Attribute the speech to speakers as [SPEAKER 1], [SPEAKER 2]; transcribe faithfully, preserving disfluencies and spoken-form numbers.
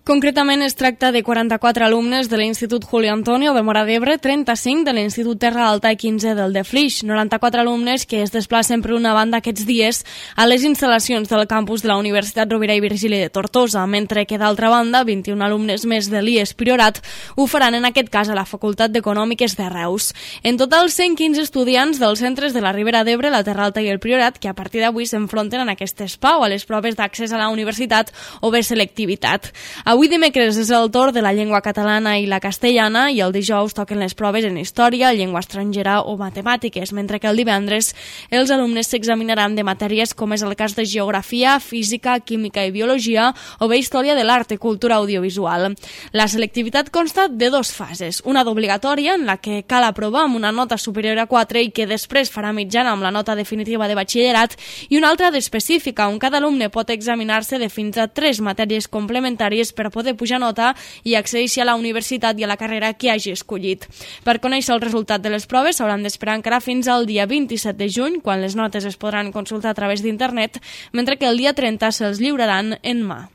[SPEAKER 1] Concretament es tracta de quaranta-quatre alumnes de l'Institut Julio Antonio de Móra d'Ebre, trenta-cinc de l'Institut Terra Alta i quinze del de Flix, noranta-quatre alumnes que es desplacen per una banda aquests dies a les instal·lacions del campus de la Universitat Rovira i Virgili de Tortosa, mentre que d'altra banda vint-i-un alumnes més de l'I E S Priorat ho faran en aquest cas a la Facultat d'Econòmiques de Reus. En total, cent quinze estudiants dels centres de la Ribera d'Ebre, la Terra Alta i el Priorat que a partir d'avui s'enfronten en aquest espau a les proves d'accés a la universitat o bé selectivitat. Avui dimecres és el torn de la llengua catalana i la castellana i el dijous toquen les proves en història, llengua estrangera o matemàtiques, mentre que el divendres els alumnes s'examinaran de matèries com és el cas de geografia, física, química i biologia o bé història de l'art i cultura audiovisual. La selectivitat consta de dos fases, una d'obligatòria en la que cal aprovar amb una nota superior a quatre i que després farà mitjana amb la nota definitiva de batxillerat i una altra d'específica on cada alumne pot examinar-se de fins a tres matèries complementàries per poder pujar nota i accedir a la universitat i a la carrera que hagi escollit. Per conèixer el resultat de les proves s'hauran d'esperar encara fins al dia vint-i-set de juny, quan les notes es podran consultar a través d'internet, mentre que el dia trenta se'ls lliuraran en mà.